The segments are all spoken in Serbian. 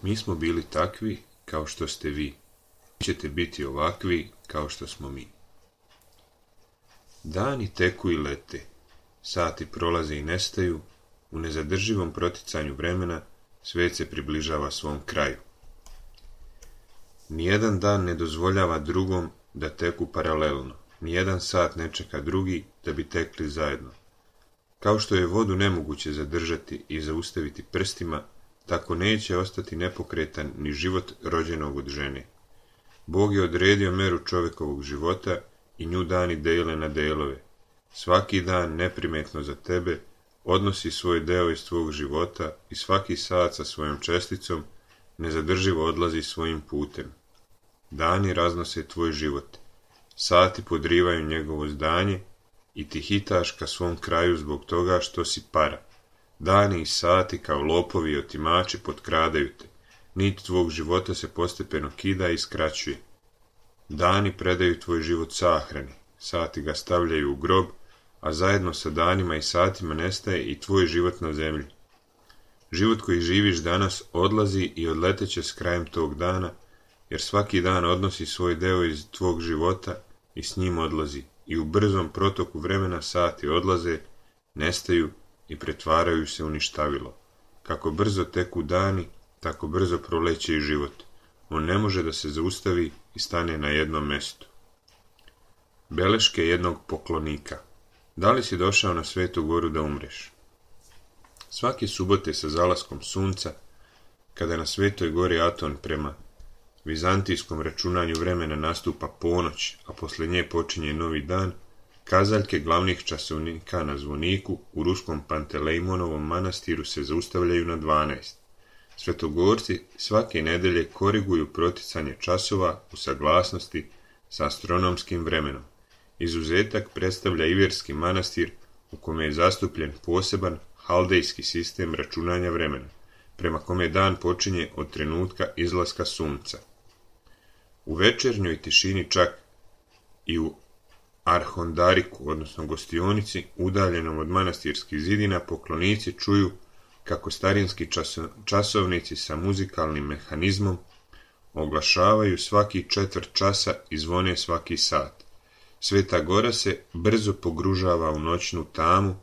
Mi smo bili takvi kao što ste vi. Vi ćete biti ovakvi kao što smo mi. Dani teku i lete. Sati prolaze i nestaju. U nezadrživom proticanju vremena svijet se približava svom kraju. Nijedan dan ne dozvoljava drugom da teku paralelno. Nijedan sat ne čeka drugi da bi tekli zajedno. Kao što je vodu nemoguće zadržati i zaustaviti prstima, tako neće ostati nepokretan ni život rođenog od žene. Bog je odredio meru čovjekovog života i nju dani dele na delove. Svaki dan neprimetno za tebe odnosi svoj deo iz tvog života i svaki sat sa svojom česticom nezadrživo odlazi svojim putem. Dani raznose tvoj život. Sati podrivaju njegovo zdanje i ti hitaš ka svom kraju zbog toga što si para. Dani i sati kao lopovi i otimači potkradaju te. Nit tvog života se postepeno kida i skraćuje. Dani predaju tvoj život sahrani, sati ga stavljaju u grob, a zajedno sa danima i satima nestaje i tvoj život na zemlji. Život koji živiš danas odlazi i odleteće s krajem tog dana, jer svaki dan odnosi svoj deo iz tvog života i s njim odlazi, i u brzom protoku vremena sati odlaze, nestaju i pretvaraju se u ništavilo. Kako brzo teku dani, tako brzo proleće i život. On ne može da se zaustavi i stane na jednom mjestu. Beleške jednog poklonika. Da li si došao na Svetu Goru da umreš? Svake subote sa zalaskom sunca, kada na Svetoj Gori Aton prema vizantijskom računanju vremena nastupa ponoć, a poslije nje počinje novi dan, kazaljke glavnih časovnika na zvoniku u ruskom Pantelejmonovom manastiru se zaustavljaju na 12. Svetogorci svake nedelje koriguju proticanje časova u saglasnosti sa astronomskim vremenom. Izuzetak predstavlja Iverski manastir u kome je zastupljen poseban haldejski sistem računanja vremena, prema kome dan počinje od trenutka izlaska sunca. U večernjoj tišini čak i u Arhondariku, odnosno gostionici, udaljenom od manastirskih zidina, poklonici čuju kako starinski časovnici sa muzikalnim mehanizmom oglašavaju svaki četvrt časa i zvone svaki sat. Sveta Gora se brzo pogružava u noćnu tamu,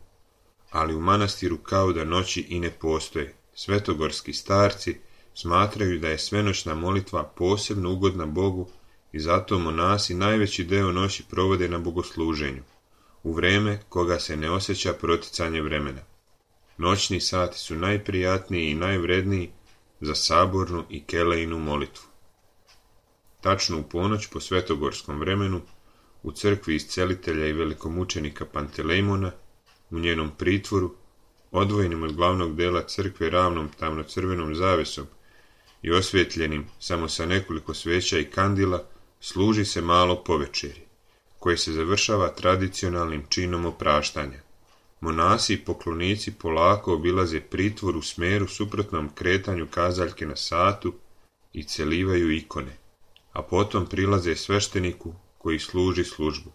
ali u manastiru kao da noći i ne postoje. Svetogorski starci smatraju da je svenoćna molitva posebno ugodna Bogu i zato monasi najveći deo noći provode na bogosluženju, u vreme koga se ne osjeća proticanje vremena. Noćni sati su najprijatniji i najvredniji za sabornu i kelejnu molitvu. Tačno u ponoć po svetogorskom vremenu, u crkvi iscelitelja i velikomučenika Pantelejmona, u njenom pritvoru, odvojenim od glavnog dela crkve ravnom tamno-crvenom zavesom i osvjetljenim samo sa nekoliko sveća i kandila, služi se malo povečeri, koje se završava tradicionalnim činom opraštanja. Monasi i poklonici polako obilaze pritvor u smeru suprotnom kretanju kazaljke na satu i celivaju ikone, a potom prilaze svešteniku koji služi službu.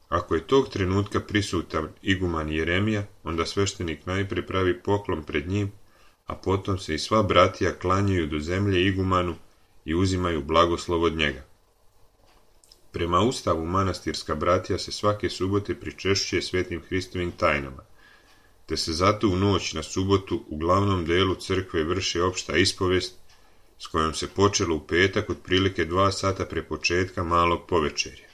Ako je tog trenutka prisutan iguman Jeremija, onda sveštenik najprije pravi poklon pred njim, a potom se i sva bratija klanjaju do zemlje igumanu i uzimaju blagoslov od njega. Prema ustavu manastirska bratija se svake subote pričešćuje svetim Hristovim tajnama, te se zato u noć na subotu u glavnom delu crkve vrši opšta ispovest, s kojom se počelo u petak otprilike 2 sata pre početka malog povečerja.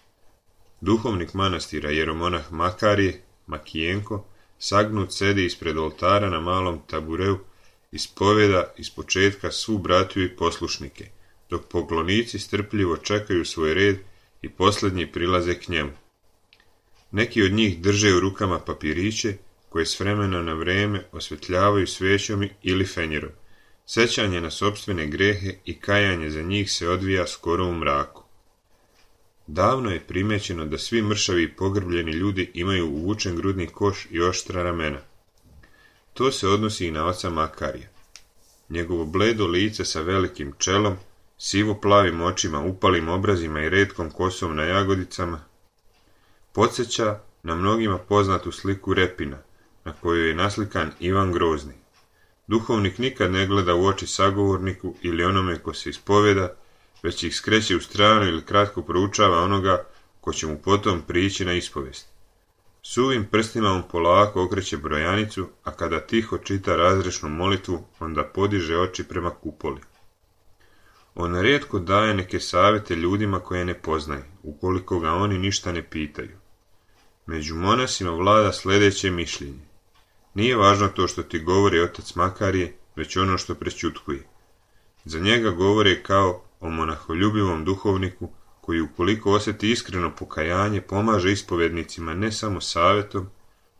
Duhovnik manastira jeromonah Makarije, Makijenko, sagnut sedi ispred oltara na malom tabureu, ispoveda ispočetka svu bratiju i poslušnike, dok poklonici strpljivo čekaju svoj red i posljednji prilaze k njemu. Neki od njih drže u rukama papiriće koje s vremena na vrijeme osvetljavaju svećom ili fenjerom. Sećanje na sopstvene grehe i kajanje za njih se odvija skoro u mraku. Davno je primećeno da svi mršavi i pogrbljeni ljudi imaju uvučen grudni koš i oštra ramena. To se odnosi i na oca Makarija. Njegovo bledo lice sa velikim čelom, sivo-plavim očima, upalim obrazima i retkom kosom na jagodicama podsjeća na mnogima poznatu sliku Repina, na kojoj je naslikan Ivan Grozni. Duhovnik nikad ne gleda u oči sagovorniku ili onome ko se ispoveda, već ih skreće u stranu ili kratko proučava onoga ko će mu potom prići na ispovest. Suvim prstima on polako okreće brojanicu, a kada tiho čita razrešnu molitvu, onda podiže oči prema kupoli. On rijetko daje neke savjete ljudima koje ne poznaje, ukoliko ga oni ništa ne pitaju. Među monasima vlada sljedeće mišljenje. Nije važno to što ti govori otac Makarije, već ono što prešćutkuje. Za njega govore kao o monaholjubivom duhovniku koji ukoliko osjeti iskreno pokajanje pomaže ispovednicima ne samo savjetom,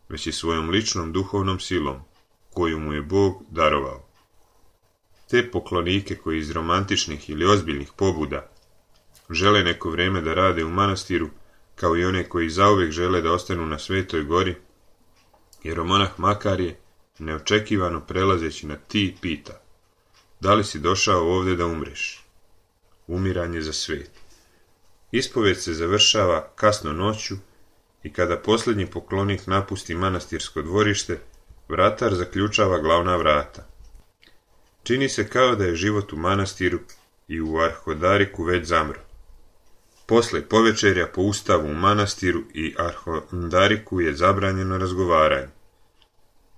već i svojom ličnom duhovnom silom, koju mu je Bog darovao. Te poklonike koji iz romantičnih ili ozbiljnih pobuda žele neko vrijeme da rade u manastiru, kao i one koji zauvijek žele da ostanu na Svetoj gori, jeromonah Makarije, neočekivano prelazeći na ti, pita: da li si došao ovdje da umreš? Umiranje za svet. Ispoved se završava kasno noću i kada posljednji poklonik napusti manastirsko dvorište, vratar zaključava glavna vrata. Čini se kao da je život u manastiru i u Arhodariku već zamro. Posle povečerja po ustavu u manastiru i Arhodariku je zabranjeno razgovaranje,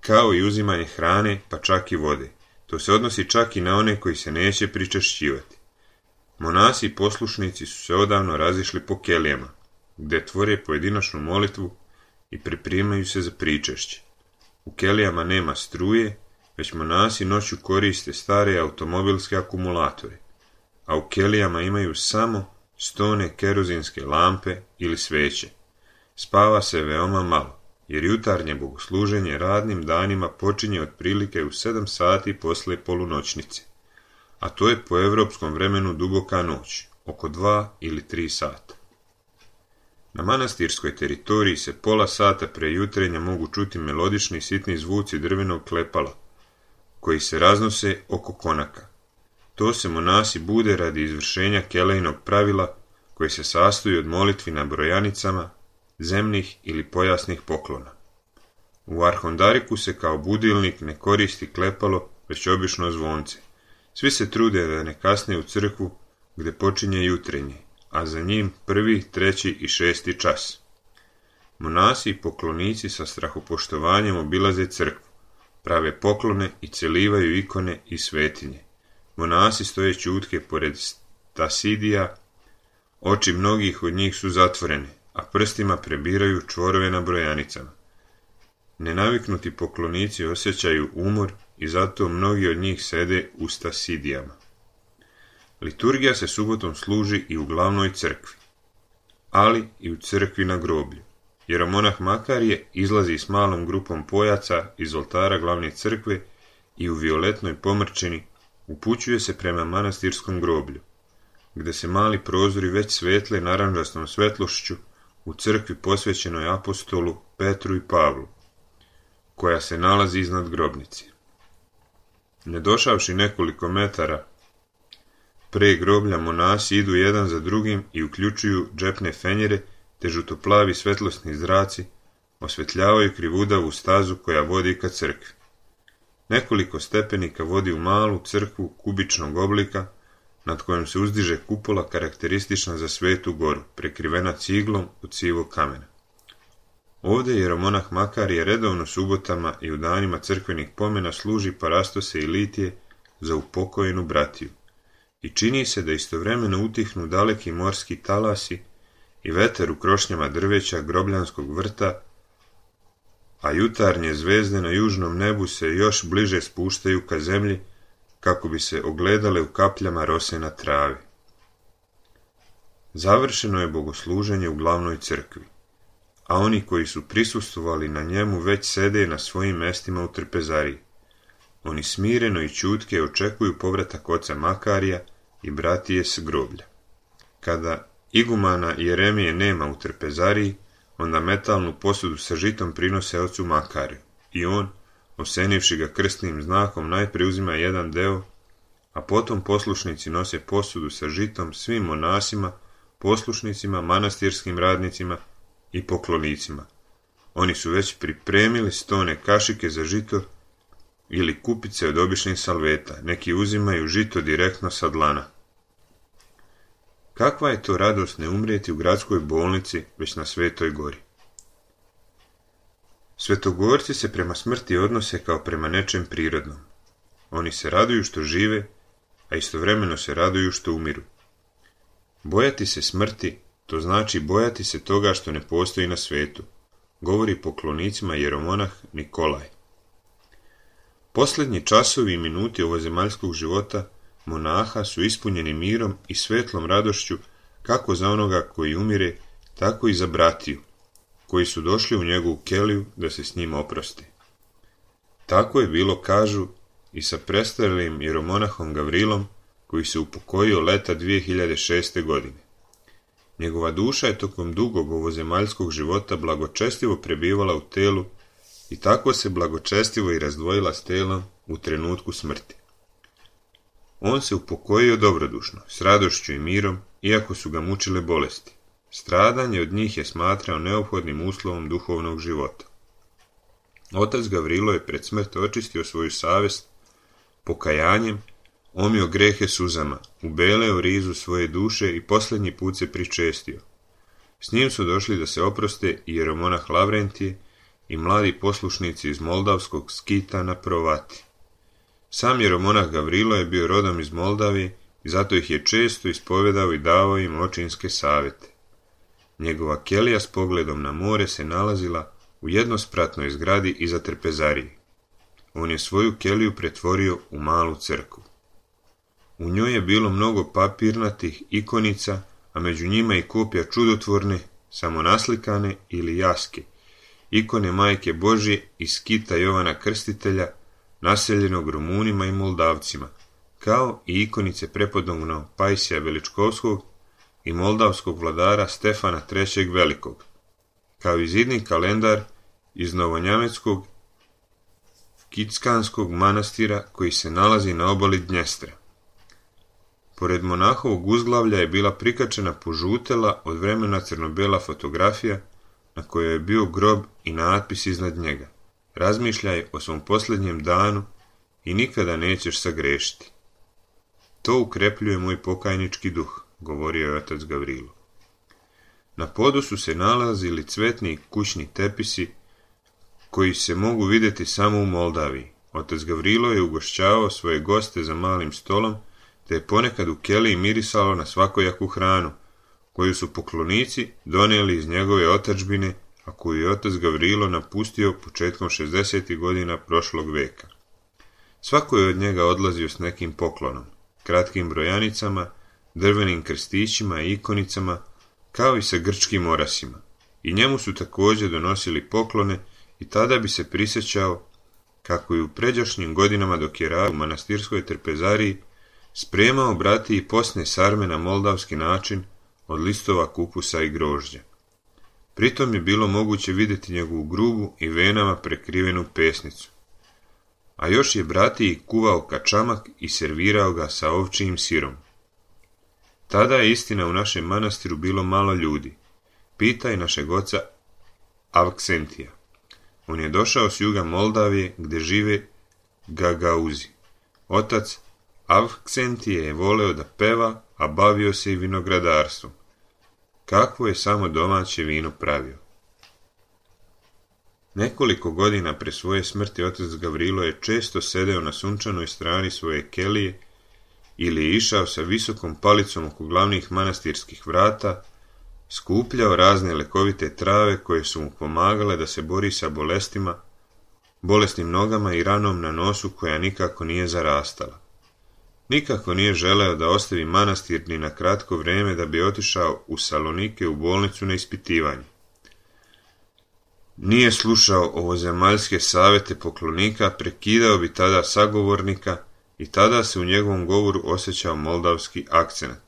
kao i uzimanje hrane, pa čak i vode. To se odnosi čak i na one koji se neće pričešćivati. Monasi i poslušnici su se odavno razišli po kelijama, gdje tvore pojedinačnu molitvu i pripremaju se za pričešće. U kelijama nema struje, već monasi noću koriste stare automobilske akumulatore, a u kelijama imaju samo stone kerozinske lampe ili sveće. Spava se veoma malo, jer jutarnje bogosluženje radnim danima počinje otprilike u 7 sati posle polunoćnice, a to je po evropskom vremenu duboka noć, oko 2 ili 3 sata. Na manastirskoj teritoriji se pola sata pre jutrenja mogu čuti melodični sitni zvuci drvenog klepala, koji se raznose oko konaka. To se monasi bude radi izvršenja kelejnog pravila koje se sastoji od molitvi na brojanicama, zemnih ili pojasnih poklona. U Arhondariku se kao budilnik ne koristi klepalo, već obično zvonce. Svi se trude da ne kasne u crkvu gdje počinje jutrenje, a za njim 1., 3. i 6. čas. Monasi i poklonici sa strahopoštovanjem obilaze crkvu, prave poklone i celivaju ikone i svetinje. Monasi stoje ćutke pored stasidija, oči mnogih od njih su zatvorene, a prstima prebiraju čvorove na brojanicama. Nenaviknuti poklonici osjećaju umor i zato mnogi od njih sede u stasidijama. Liturgija se subotom služi i u glavnoj crkvi, ali i u crkvi na groblju. Jeromonah Makarije izlazi s malom grupom pojaca iz oltara glavne crkve i u violetnoj pomrčini upućuje se prema manastirskom groblju, gdje se mali prozori već svetle naranđastom svetlošću u crkvi posvećenoj apostolu Petru i Pavlu, koja se nalazi iznad grobnice. Ne došavši nekoliko metara pre groblja, monasi idu jedan za drugim i uključuju džepne fenjere, te žutoplavi svetlosni zraci osvetljavaju krivudavu stazu koja vodi ka crkvi. Nekoliko stepenika vodi u malu crkvu kubičnog oblika, nad kojom se uzdiže kupola karakteristična za Svetu goru, prekrivena ciglom od sivog kamena. Ovdje jeromonah Makarije redovno subotama i u danima crkvenih pomena služi parastose i litije za upokojenu bratiju. I čini se da istovremeno utihnu daleki morski talasi i veter u krošnjama drveća grobljanskog vrta, a jutarnje zvezde na južnom nebu se još bliže spuštaju ka zemlji kako bi se ogledale u kapljama rose na travi. Završeno je bogosluženje u glavnoj crkvi, a oni koji su prisustvovali na njemu već sede na svojim mestima u trpezariji. Oni smireno i ćutke očekuju povratak oca Makarija i bratije s groblja. Kada igumana Jeremije nema u trpezariji, onda metalnu posudu sa žitom prinose ocu Makariju i on, osenivši ga krstnim znakom, najprije uzima jedan deo, a potom poslušnici nose posudu sa žitom svim monasima, poslušnicima, manastirskim radnicima i poklonicima. Oni su već pripremili 100 kašike za žito ili kupice od običnih salveta, neki uzimaju žito direktno sa dlana. Kakva je to radost ne umrijeti u gradskoj bolnici, već na Svetoj gori. Svetogorci se prema smrti odnose kao prema nečem prirodnom. Oni se raduju što žive, a istovremeno se raduju što umiru. Bojati se smrti, to znači bojati se toga što ne postoji na svetu, govori poklonicima jeromonah Nikolaj. Posljednji časovi i minuti ovozemaljskog života monaha su ispunjeni mirom i svetlom radošću kako za onoga koji umire, tako i za bratiju, koji su došli u njegovu keliju da se s njim oprosti. Tako je bilo, kažu, i sa prestarelim jeromonahom Gavrilom, koji se upokojio leta 2006. godine. Njegova duša je tokom dugog ovozemaljskog života blagočestivo prebivala u telu i tako se blagočestivo i razdvojila s telom u trenutku smrti. On se upokojio dobrodušno, s radošću i mirom, iako su ga mučile bolesti. Stradanje od njih je smatrao neophodnim uslovom duhovnog života. Otac Gavrilo je pred smrt očistio svoju savjest pokajanjem, omio grehe suzama, ubeleo rizu svoje duše i posljednji put se pričestio. S njim su došli da se oproste i jeromonah Lavrentije i mladi poslušnici iz moldavskog Skita na Provati. Sam jeromonah Gavrilo je bio rodom iz Moldavije i zato ih je često ispovedao i davao im očinske savjete. Njegova kelija s pogledom na more se nalazila u jednospratnoj zgradi iza trpezarije. On je svoju keliju pretvorio u malu crkvu. U njoj je bilo mnogo papirnatih ikonica, a među njima i kopija čudotvorne, samonaslikane ili jaske, ikone Majke Božje i Skita Jovana Krstitelja, naseljenog Rumunima i Moldavcima, kao i ikonice prepodobnog Pajsija Veličkovskog i moldavskog vladara Stefana III. Velikog, kao i zidni kalendar iz Novonjameckog Kickanskog manastira koji se nalazi na obali Dnjestra. Pored monahovog uzglavlja je bila prikačena požutela od vremena crno-bela fotografija na kojoj je bio grob i natpis iznad njega: razmišljaj o svom posljednjem danu i nikada nećeš sagrešiti. To ukrepljuje moj pokajnički duh, govorio je otac Gavrilo. Na podu su se nalazili cvetni kućni tepisi koji se mogu vidjeti samo u Moldaviji. Otac Gavrilo je ugošćavao svoje goste za malim stolom, te je ponekad u keliji mirisalo na svakojaku hranu, koju su poklonici donijeli iz njegove otadžbine, a koju je otac Gavrilo napustio početkom 60. godina prošlog veka. Svako je od njega odlazio s nekim poklonom, kratkim brojanicama, drvenim krstićima i ikonicama, kao i sa grčkim orasima. I njemu su također donosili poklone i tada bi se prisjećao kako je u pređašnjim godinama dok je radio u manastirskoj trpezariji spremao bratiji posne sarme na moldavski način od listova kupusa i grožđa. Pritom je bilo moguće vidjeti njegovu grubu i venama prekrivenu pesnicu. A još je bratiji kuvao kačamak i servirao ga sa ovčijim sirom. Tada je istina u našem manastiru bilo malo ljudi. Pitaj našeg oca Avksentija. On je došao s juga Moldavije gdje žive Gagauzi. Otac Avksentije je voleo da peva, a bavio se i vinogradarstvom. Kakvo je samo domaće vino pravio. Nekoliko godina pre svoje smrti otac Gavrilo je često sedeo na sunčanoj strani svoje kelije ili je išao sa visokom palicom oko glavnih manastirskih vrata, skupljao razne lekovite trave koje su mu pomagale da se bori sa bolesnim nogama i ranom na nosu koja nikako nije zarastala. Nikako nije želeo da ostavi manastir ni na kratko vrijeme da bi otišao u Salonike u bolnicu na ispitivanje. Nije slušao ovozemaljske savjete poklonika, prekidao bi tada sagovornika i tada se u njegovom govoru osjećao moldavski akcenat.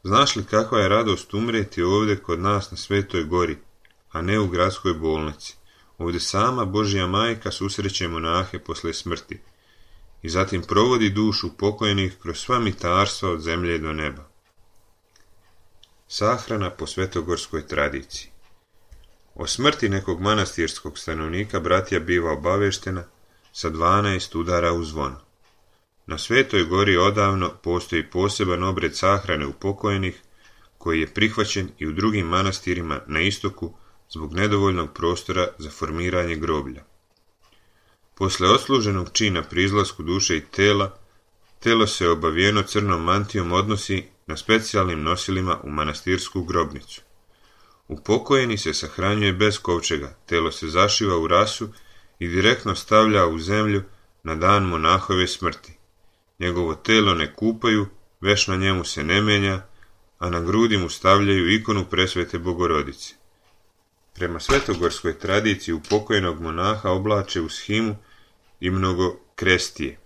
Znaš li kakva je radost umrijeti ovdje kod nas na Svetoj gori, a ne u gradskoj bolnici? Ovdje sama Božja majka susreće monahe posle smrti i zatim provodi dušu pokojnih kroz sva mitarstva od zemlje do neba. Sahrana po svetogorskoj tradiciji. O smrti nekog manastirskog stanovnika bratija biva obaveštena sa 12 udara u zvono. Na Svetoj gori odavno postoji poseban obred sahrane upokojenih koji je prihvaćen i u drugim manastirima na istoku zbog nedovoljnog prostora za formiranje groblja. Posle odsluženog čina pri izlasku duše i tela, telo se obavijeno crnom mantijom odnosi na specijalnim nosilima u manastirsku grobnicu. Upokojeni se sahranjuje bez kovčega, telo se zašiva u rasu i direktno stavlja u zemlju na dan monahove smrti. Njegovo telo ne kupaju, veš na njemu se ne menja, a na grudi mu stavljaju ikonu presvete Bogorodice. Prema svetogorskoj tradiciji upokojenog monaha oblače u shimu i mnogo krestije.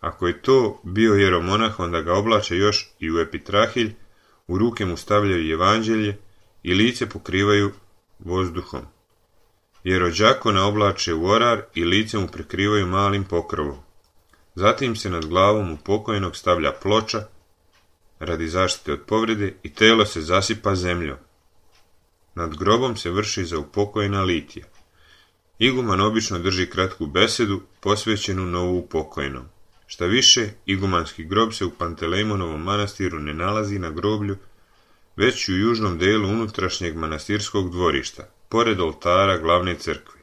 Ako je to bio jeromonah, onda ga oblače još i u epitrahilj, u ruke mu stavljaju evanđelje i lice pokrivaju vozduhom. Jerođakona oblače u orar i lice mu prekrivaju malim pokrovom. Zatim se nad glavom upokojenog stavlja ploča radi zaštite od povrede i telo se zasipa zemljom. Nad grobom se vrši za upokojena litija. Iguman obično drži kratku besedu posvećenu novu upokojenom. Šta više, igumanski grob se u Pantelejmonovom manastiru ne nalazi na groblju, već u južnom delu unutrašnjeg manastirskog dvorišta, pored oltara glavne crkve.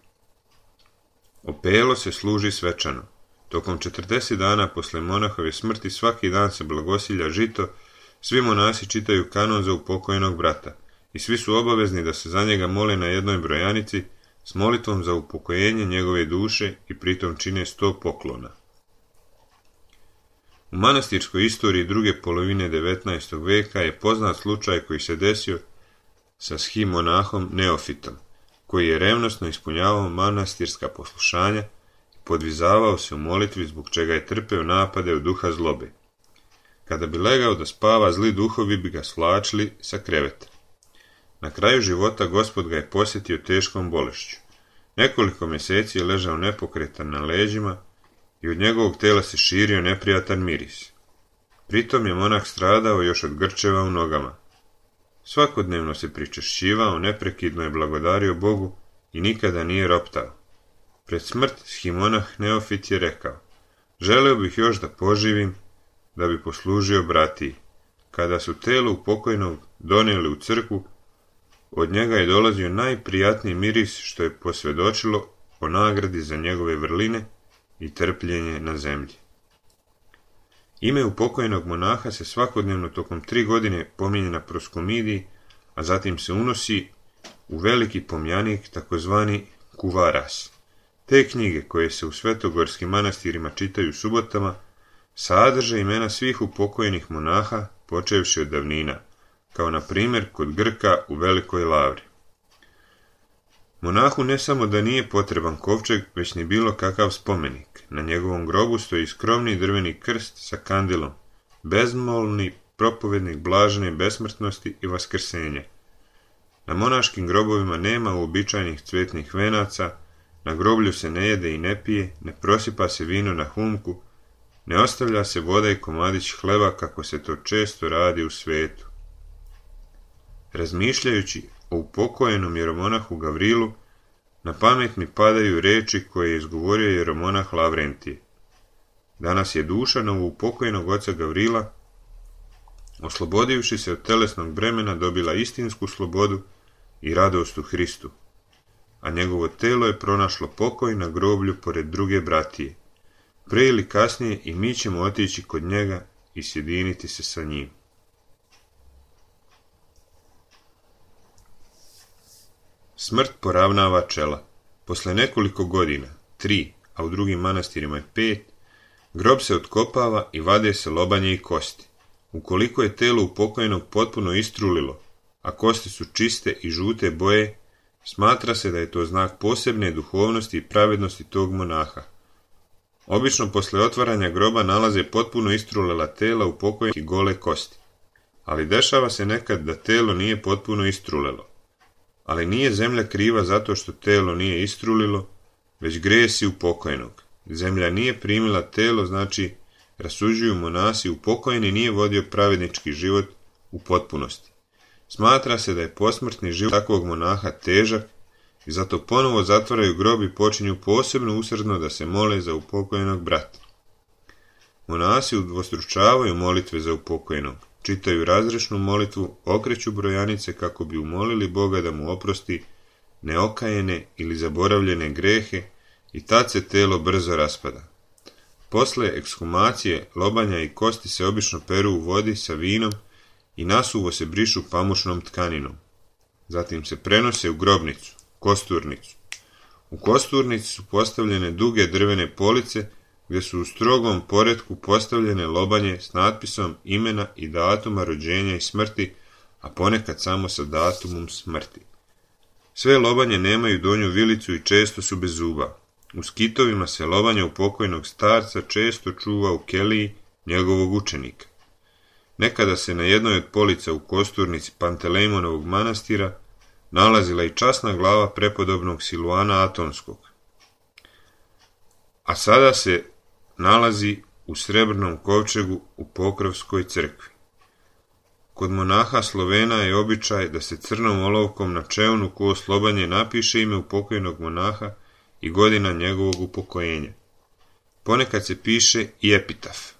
Opelo se služi svečano. Tokom 40 dana posle monahove smrti svaki dan se blagosilja žito, svi monasi čitaju kanon za upokojenog brata i svi su obavezni da se za njega mole na jednoj brojanici s molitvom za upokojenje njegove duše i pritom čine 100 poklona. U manastirskoj istoriji druge polovine 19. veka je poznat slučaj koji se desio sa monahom Neofitom, koji je revnosno ispunjavao manastirska poslušanja i podvizavao se u molitvi zbog čega je trpeo napade od duha zlobe. Kada bi legao da spava, zli duhovi bi ga svlačili sa kreveta. Na kraju života Gospod ga je posjetio teškom bolešću. Nekoliko mjeseci je ležao nepokretan na leđima i od njegovog tela se širio neprijatan miris. Pritom je monah stradao još od grčeva u nogama. Svakodnevno se pričešćivao, neprekidno je blagodario Bogu i nikada nije roptao. Pred smrt shimonah Neofit je rekao: želeo bih još da poživim, da bi poslužio bratiji. Kada su telo upokojnog donijeli u crkvu, od njega je dolazio najprijatniji miris što je posvjedočilo o nagradi za njegove vrline i trpljenje na zemlji. Ime upokojnog monaha se svakodnevno tokom 3 godine pominje na proskomidiji, a zatim se unosi u veliki pomjanik, takozvani kuvaras. Te knjige, koje se u svetogorskim manastirima čitaju subotama, sadrže imena svih upokojenih monaha, počevši od davnina, kao na primjer kod Grka u Velikoj Lavri. Monahu ne samo da nije potreban kovčeg, već ni bilo kakav spomenik. Na njegovom grobu stoji skromni drveni krst sa kandilom, bezmolni propovednik blažene besmrtnosti i vaskrsenja. Na monaškim grobovima nema uobičajenih cvetnih venaca, na groblju se ne jede i ne pije, ne prosipa se vino na humku, ne ostavlja se voda i komadić hleba kako se to često radi u svetu. Razmišljajući o upokojenom jeromonahu Gavrilu, na pamet mi padaju reči koje je izgovorio jeromonah Lavrentije. Danas je duša novoupokojenog oca Gavrila, oslobodivši se od telesnog bremena, dobila istinsku slobodu i radost u Hristu, a njegovo telo je pronašlo pokoj na groblju pored druge bratije. Pre ili kasnije i mi ćemo otići kod njega i sjediniti se sa njim. Smrt poravnava čela. Posle nekoliko godina, 3, a u drugim manastirima je 5, grob se otkopava i vade se lobanje i kosti. Ukoliko je telo upokojnog potpuno istrulilo, a kosti su čiste i žute boje, smatra se da je to znak posebne duhovnosti i pravednosti tog monaha. Obično posle otvaranja groba nalaze potpuno istrulela tela upokojnih i gole kosti. Ali dešava se nekad da telo nije potpuno istrulelo. Ali nije zemlja kriva zato što telo nije istrulilo, već grijesi upokojnog. Zemlja nije primila telo, znači rasuđuju monasi, upokojeni nije vodio pravednički život u potpunosti. Smatra se da je posmrtni život takvog monaha težak i zato ponovo zatvaraju grob i počinju posebno usrdno da se mole za upokojenog brata. Monasi udvostručavaju molitve za upokojenog, čitaju razrešnu molitvu, okreću brojanice kako bi umolili Boga da mu oprosti neokajene ili zaboravljene grehe i tad se telo brzo raspada. Posle ekshumacije, lobanja i kosti se obično peru u vodi sa vinom i nasuvo se brišu pamučnom tkaninom. Zatim se prenose u grobnicu, kosturnicu. U kosturnici su postavljene duge drvene police gdje su u strogom poretku postavljene lobanje s natpisom imena i datuma rođenja i smrti, a ponekad samo sa datumom smrti. Sve lobanje nemaju donju vilicu i često su bez zuba. U skitovima se lobanje upokojnog starca često čuva u keliji njegovog učenika. Nekada se na jednoj od polica u kosturnici Pantelejmonovog manastira nalazila i časna glava prepodobnog Siluana Atonskog, a sada se nalazi u srebrnom kovčegu u Pokrovskoj crkvi. Kod monaha Slovena je običaj da se crnom olovkom na čevnu kost lobanje napiše ime upokojnog monaha i godina njegovog upokojenja. Ponekad se piše i epitaf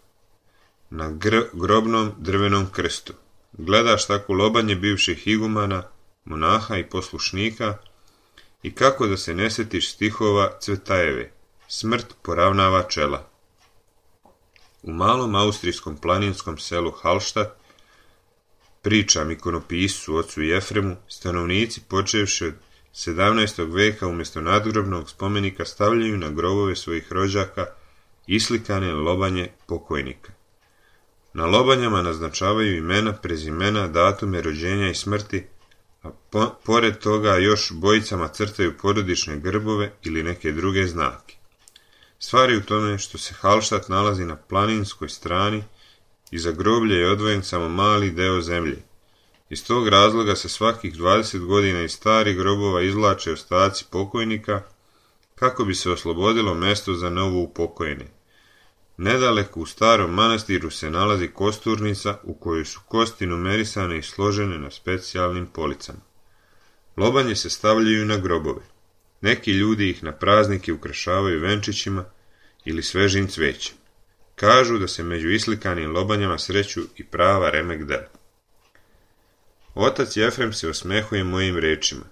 na grobnom drvenom krstu. Gledaš tako lobanje bivših igumana, monaha i poslušnika i kako da se ne setiš stihova Cvetajeve, smrt poravnava čela. U malom austrijskom planinskom selu Hallstatt, pričam ikonopisu ocu Jefremu, stanovnici počevši od 17. veka umjesto nadgrobnog spomenika stavljaju na grobove svojih rođaka islikane lobanje pokojnika. Na lobanjama naznačavaju imena, prezimena, datume rođenja i smrti, a pored toga još bojicama crtaju porodične grbove ili neke druge znake. Stvar je u tome što se Hallstatt nalazi na planinskoj strani i za groblje je odvojen samo mali deo zemlje. Iz tog razloga se svakih 20 godina iz starih grobova izvlače ostaci pokojnika kako bi se oslobodilo mesto za novo upokojene. Nedaleko u starom manastiru se nalazi kosturnica u kojoj su kosti numerisane i složene na specijalnim policama. Lobanje se stavljaju na grobove. Neki ljudi ih na praznike ukrašavaju venčićima ili svežim cvećem. Kažu da se među islikanim lobanjama sreću i prava remek dela. Otac Jefrem se osmehuje mojim rečima.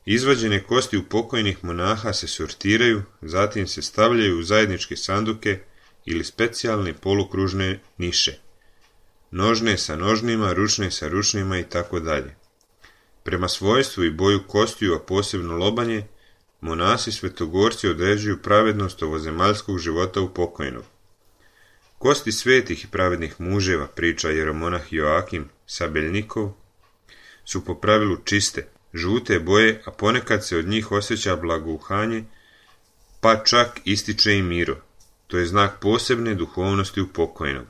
Izvađene kosti upokojnih monaha se sortiraju, zatim se stavljaju u zajedničke sanduke ili specijalne polukružne niše. Nožne sa nožnima, ručne sa ručnima i tako dalje. Prema svojstvu i boju kostiju, a posebno lobanje, monasi svetogorci određuju pravednost ovozemaljskog života upokojnog. Kosti svetih i pravednih muževa, priča jeromonah Joakim Sabeljnikov, su po pravilu čiste, žute boje, a ponekad se od njih osjeća blagouhanje, pa čak ističe i miro. To je znak posebne duhovnosti upokojnog.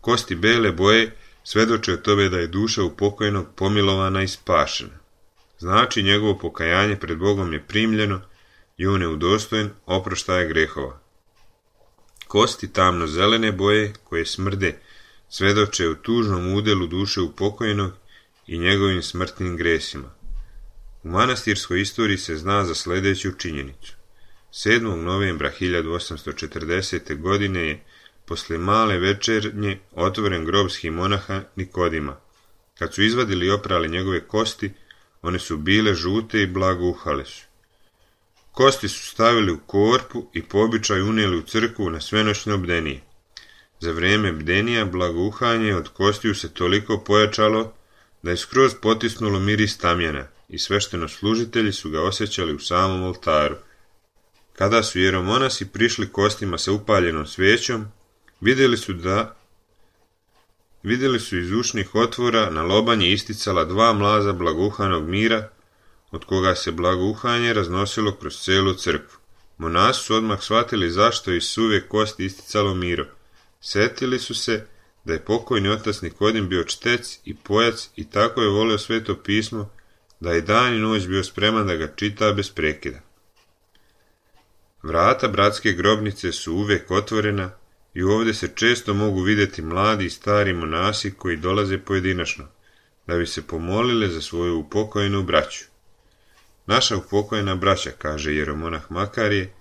Kosti bele boje svedoče o tome da je duša upokojnog pomilovana i spašena. Znači njegovo pokajanje pred Bogom je primljeno i on je udostojen oproštaja grehova. Kosti tamno-zelene boje, koje smrde, svedoče o tužnom udelu duše upokojnog i njegovim smrtnim gresima. U manastirskoj istoriji se zna za sljedeću činjenicu. 7. novembra 1840. godine je posle male večernje otvoren grob monaha Nikodima. Kad su izvadili i oprali njegove kosti, one su bile žute i blagouhale su. Kosti su stavili u korpu i po običaju unijeli u crkvu na svenoćne bdenije. Za vrijeme bdenija blagouhanje od kostiju se toliko pojačalo da je skroz potisnulo miris tamjana i sveštenoslужitelji su ga osjećali u samom oltaru. Kada su jeromonasi prišli kostima sa upaljenom svijećom, vidjeli su iz ušnih otvora na lobanji isticala 2 mlaza blagouhanog mira, od koga se blagouhanje raznosilo kroz cijelu crkvu. Monasi su odmah shvatili zašto iz suve kosti isticalo miro. Sjetili su se da je pokojni otac Nikodim bio čtec i pojac i tako je volio Sveto pismo, da je dan i noć bio spreman da ga čita bez prekida. Vrata bratske grobnice su uvijek otvorena i ovdje se često mogu vidjeti mladi i stari monasi koji dolaze pojedinačno, da bi se pomolile za svoju upokojenu braću. Naša upokojena braća, kaže jeromonah Makarije,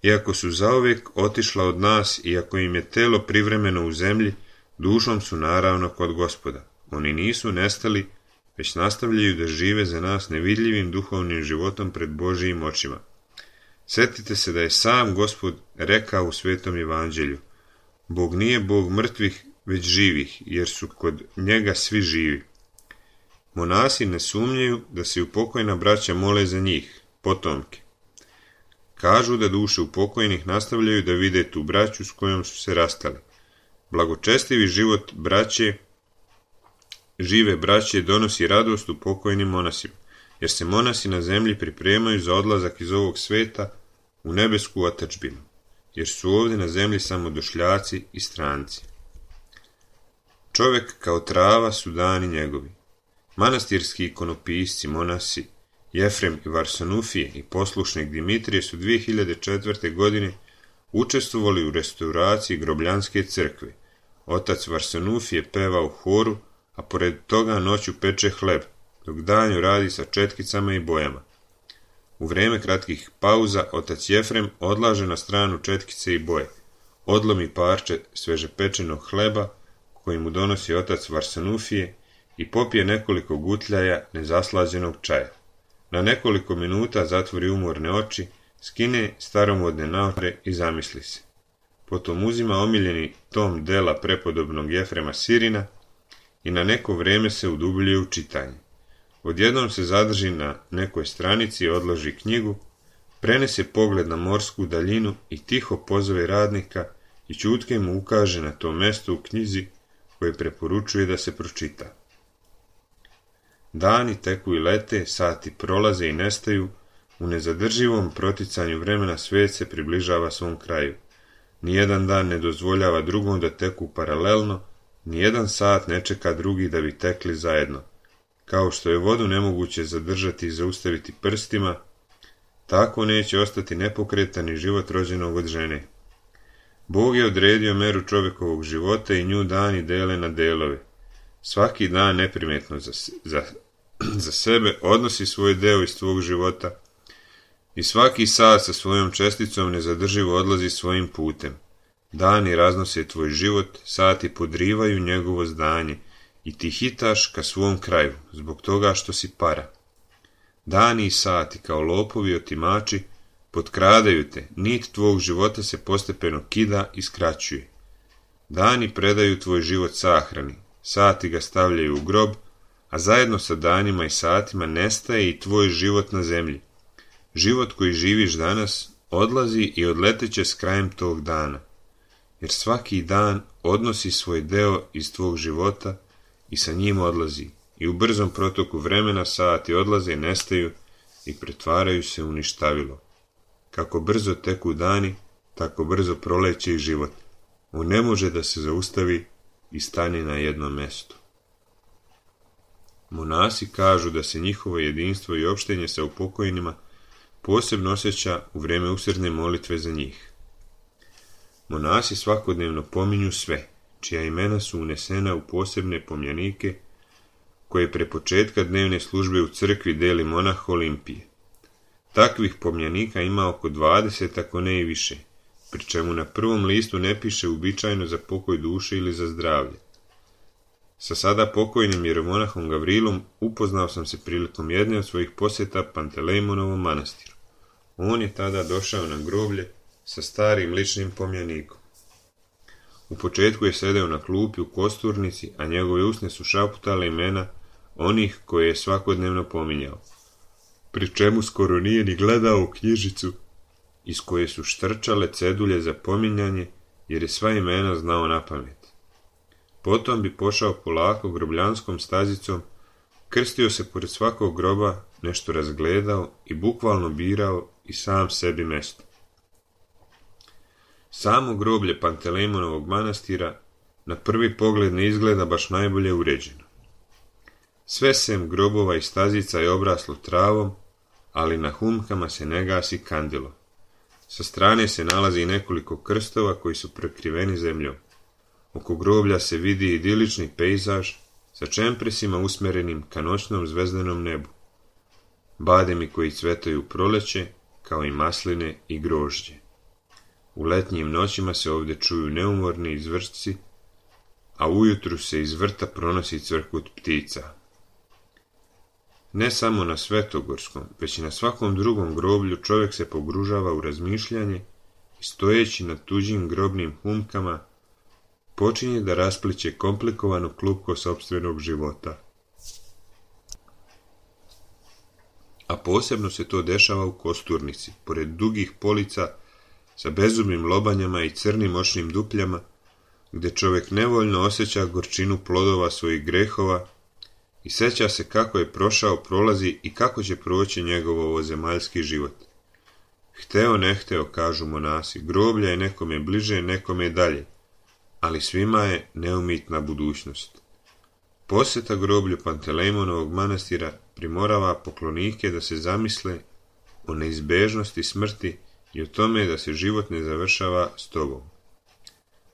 iako su zauvijek otišla od nas, iako im je telo privremeno u zemlji, dušom su naravno kod Gospoda. Oni nisu nestali, već nastavljaju da žive za nas nevidljivim duhovnim životom pred Božijim očima. Sjetite se da je sam Gospod rekao u Svetom evanđelju: Bog nije Bog mrtvih, već živih, jer su kod njega svi živi. Monasi ne sumnjaju da se upokojena braća mole za njih, potomke. Kažu da duše upokojnih nastavljaju da vide tu braću s kojom su se rastali. Blagočestivi život žive braće donosi radost upokojnim monasima, jer se monasi na zemlji pripremaju za odlazak iz ovog sveta u nebesku otadžbinu, jer su ovdje na zemlji samo došljaci i stranci. Čovjek kao trava su dani njegovi. Manastirski ikonopisci, monasi, Jefrem i Varsanufije i poslušnik Dimitrije su 2004. godine učestvovali u restauraciji Grobljanske crkve. Otac Varsanufije peva u horu, a pored toga noću peče hleb, dok danju radi sa četkicama i bojama. U vrijeme kratkih pauza otac Jefrem odlaže na stranu četkice i boje, odlomi parče svežepečenog hleba koji mu donosi otac Varsanufije i popije nekoliko gutljaja nezaslađenog čaja. Na nekoliko minuta zatvori umorne oči, skine staromodne naočare i zamisli se. Potom uzima omiljeni tom dela prepodobnog Jefrema Sirina i na neko vrijeme se udubljuje u čitanje. Odjednom se zadrži na nekoj stranici, odloži knjigu, prenese pogled na morsku daljinu i tiho pozove radnika i ćutke mu ukaže na to mjesto u knjizi koje preporučuje da se pročita. Dani teku i lete, sati prolaze i nestaju, u nezadrživom proticanju vremena svijet se približava svom kraju. Nijedan dan ne dozvoljava drugom da teku paralelno, nijedan sat ne čeka drugi da bi tekli zajedno. Kao što je vodu nemoguće zadržati i zaustaviti prstima, tako neće ostati nepokretan i život rođenog od žene. Bog je odredio meru čovjekovog života i nju dani dele na delove. Svaki dan neprimjetno za sebe odnosi svoj deo iz tvog života i svaki sat sa svojom česticom nezadrživo odlazi svojim putem. Dani raznose tvoj život, sati podrivaju njegovo zdanje i ti hitaš ka svom kraju, zbog toga što si para. Dani i sati kao lopovi otimači potkradaju te, nit tvog života se postepeno kida i skraćuje. Dani predaju tvoj život sahrani, sati ga stavljaju u grob, a zajedno sa danima i satima nestaje i tvoj život na zemlji. Život koji živiš danas odlazi i odleteće s krajem tog dana, jer svaki dan odnosi svoj deo iz tvog života i sa njim odlazi, i u brzom protoku vremena sati odlaze, nestaju i pretvaraju se u ništavilo. Kako brzo teku dani, tako brzo proleće i život. On ne može da se zaustavi i stane na jednom mjestu. Monasi kažu da se njihovo jedinstvo i opštenje sa upokojnima posebno osjeća u vrijeme usrdne molitve za njih. Monasi svakodnevno pominju sve, čija imena su unesena u posebne pomjanike koje pre početka dnevne službe u crkvi deli monah Olimpije. Takvih pomjanika ima oko 20, ako ne i više, pri čemu na prvom listu ne piše uobičajeno za pokoj duše ili za zdravlje. Sa sada pokojnim jeromonahom Gavrilom upoznao sam se prilikom jedne od svojih posjeta Pantelejmonovom manastiru. On je tada došao na groblje sa starim ličnim pomjanikom. U početku je sedeo na klupi u kosturnici, a njegove usne su šaputale imena onih koje je svakodnevno pominjao. pri čemu skoro nije ni gledao u knjižicu iz koje su štrčale cedulje za pominjanje, jer je sva imena znao napamet. Potom bi pošao polako grobljanskom stazicom, krstio se pored svakog groba, nešto razgledao i bukvalno birao i sam sebi mesto. Samo groblje Pantelejmonovog manastira na prvi pogled ne izgleda baš najbolje uređeno. Sve sem grobova i stazica je obraslo travom, ali na humkama se ne gasi kandilo. Sa strane se nalazi nekoliko krstova koji su prekriveni zemljom. Oko groblja se vidi idilični pejzaž sa čempresima usmerenim ka noćnom zvezdanom nebu. Bademi koji cvetaju u proleće, kao i masline i grožđe. U letnjim noćima se ovdje čuju neumorni izvršci, a ujutru se iz vrta pronosi cvrkut ptica. Ne samo na Svetogorskom, već i na svakom drugom groblju čovjek se pogružava u razmišljanje i stojeći na tuđim grobnim humkama počinje da raspliće komplikovano klupko sopstvenog života. A posebno se to dešava u kosturnici, pored dugih polica sa bezumnim lobanjama i crnim očnim dupljama, gdje čovjek nevoljno osjeća gorčinu plodova svojih grehova i sjeća se kako je prošao, prolazi i kako će proći njegov ovozemaljski život. Hteo ne hteo, kažu monasi, groblja je nekome bliže, nekome dalje, ali svima je neumitna budućnost. Posjeta groblju Pantelejmonovog manastira primorava poklonike da se zamisle o neizbežnosti smrti i o tome da se život ne završava s tobom.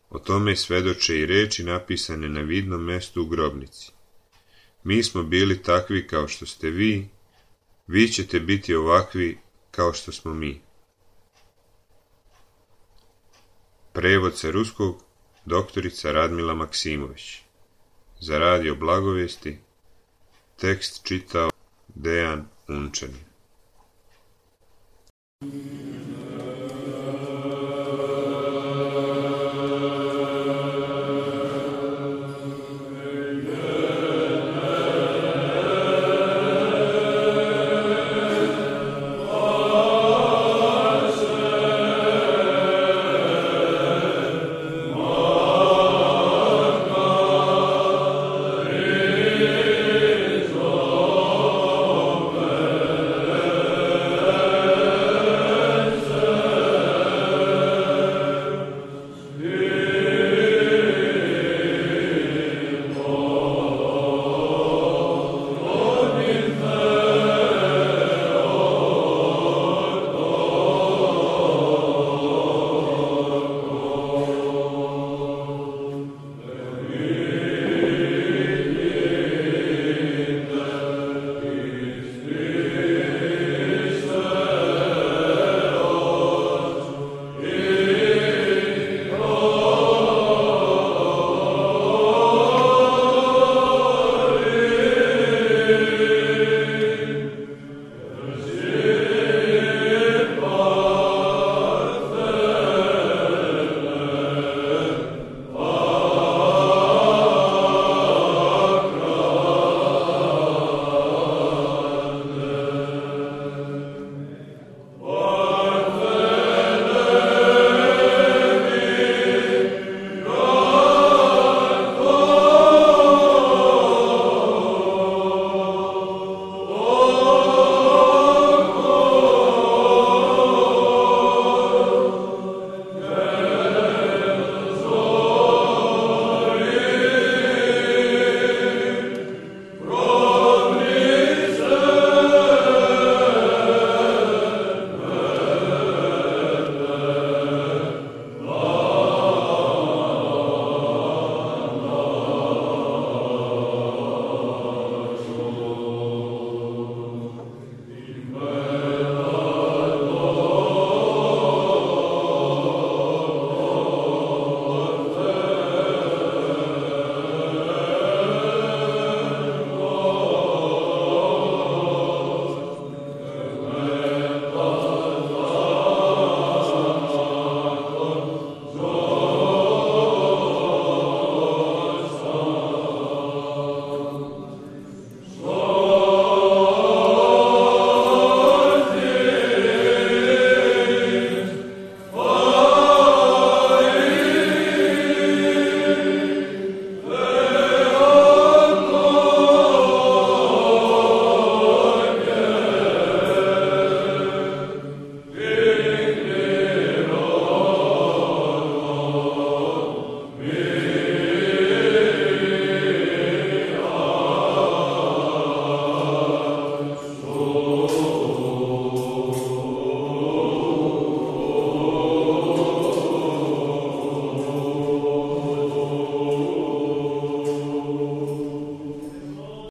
O tome svedoče i reči napisane na vidnom mjestu u grobnici. Mi smo bili takvi kao što ste vi, vi ćete biti ovakvi kao što smo mi. Prevod sa ruskog doktorica Radmila Maksimović. Za radio Blagovijesti tekst čitao Dejan Unčanin.